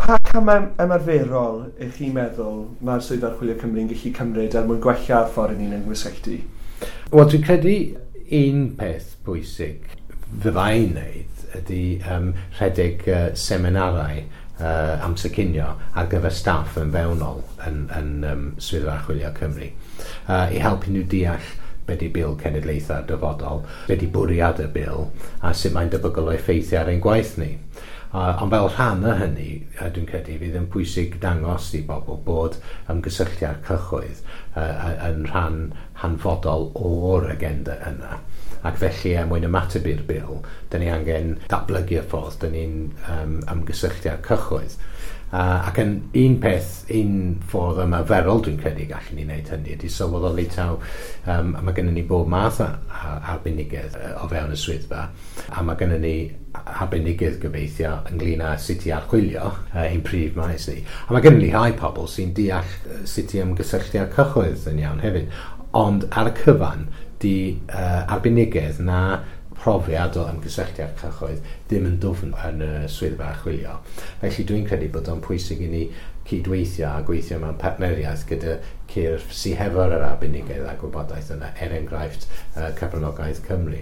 Pa camau ymarferol ych chi'n meddwl mae'r Swyddfa Archwilio Cymru'n gallu cymryd er mwyn gwella'r ffordd ni'n ymgysylltu? Wel, dwi'n credu un peth bwysig fyddai'n wneud ydy rhedeg seminarau amser cinio ar gyfer staff yn fewnol yn Swyddfa Archwilio Cymru i helpu nhw deall be di Bil Cenedlaethau'r Dyfodol, be di bwriad y bil a sut mae'n debygol o effeithio ar ein gwaith ni. Ond fel rhan o hynny, dwi'n credu fydd yn pwysig dangos i bobl bod ymgysylltu â'r cyhoedd yn rhan hanfodol o'r agenda yna. Ac felly, er mwyn ymateb i'r bil, dyn ni angen datblygu y ffordd dyn ni'n ymgysylltu â'r cyhoedd. Ac yn un peth, un ffordd ymarferol dwi'n credu gallwn ni wneud hynny ydy sylweddoli taw a mae gennym ni bob math o arbenigedd o fewn y swyddfa, a mae gennym ni arbenigedd gobeithio ynglyn â sut i archwilio ein prif maes ni. A mae gennym ni rhai pobl sy'n deall sut i ymgysylltu â'r cyhoedd yn iawn hefyd, ond ar y cyfan di arbenigedd na profiad o ymgysylltu â'r cyhoedd ddim yn dwfn yn y Swyddfa Archwilio. Felly dwi'n credu bod o'n pwysig i ni cydweithio a gweithio mewn partneriaeth gyda cyrff sydd hefo'r arbenigedd a gwybodaeth yna, er enghraifft Cyfranogaeth Cymru.